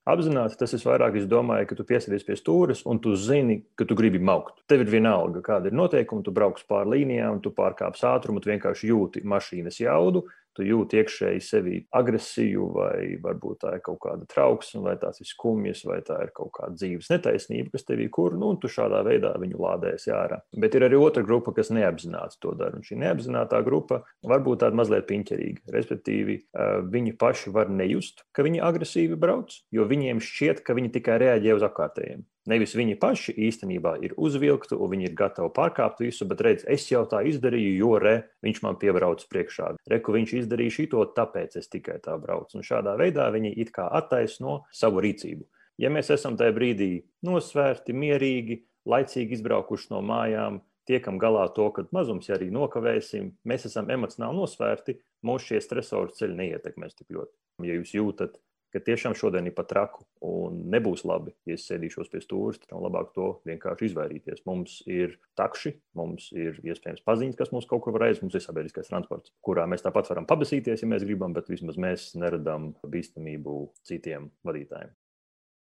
apzināti, tas ir vairāk, es domāju, ka tu piesēdies pie stūres un tu zini, ka tu gribi maukt. Tev ir vienalga, kāda ir noteikuma, tu brauks pāri līnijām, tu pārkāps ātrumu, tu vienkārši jūti mašīnas jaudu, tu jūti iekšēji sevī agresiju, vai varbūt tā ir kaut kāda trauksme, vai tās ir skumjas, vai tā ir kaut kāda dzīves netaisnība, kas tevī kur, un tu šādā veidā viņu lādēsi ārā. Bet ir arī otra grupa, kas neapzināti to dara, un šī neapzinātā grupa var būt tāda mazliet piņķerīga. Respektīvi, viņi paši var nejust, ka viņi agresīvi brauc, jo viņiem šķiet, ka viņi tikai reaģē uz apkārtējiem. Nevis viņi paši īstenībā ir uzvilkti un viņi ir gatavi pārkāpt visu, bet redz, es jau tā izdarīju, jo viņš man piebrauc priekšā. Reku viņš izdarīja šito, tāpēc es tikai tā braucu. Un šādā veidā viņi it kā attaisno savu rīcību. Ja mēs esam tajā brīdī nosvērti, mierīgi, laicīgi izbraukuši no mājām, tiekam galā to, ka mazums ja arī nokavēsim, mēs esam emocionāli nosvērti, mūs šie stresori ceļi neietekmēs tik ļoti. Ja jūs jūtat, ka tiešām šodien ir pat traku un nebūs labi, ja es sēdīšos pie stūres, tad labāk to vienkārši izvairīties. Mums ir takši, mums ir iespējams paziņas, kas mums kaut kur var aiziet, mums ir sabiedriskais transports, kurā mēs tāpat varam pabasīties, ja mēs gribam, bet vismaz mēs neradām bīstamību citiem vadītājiem.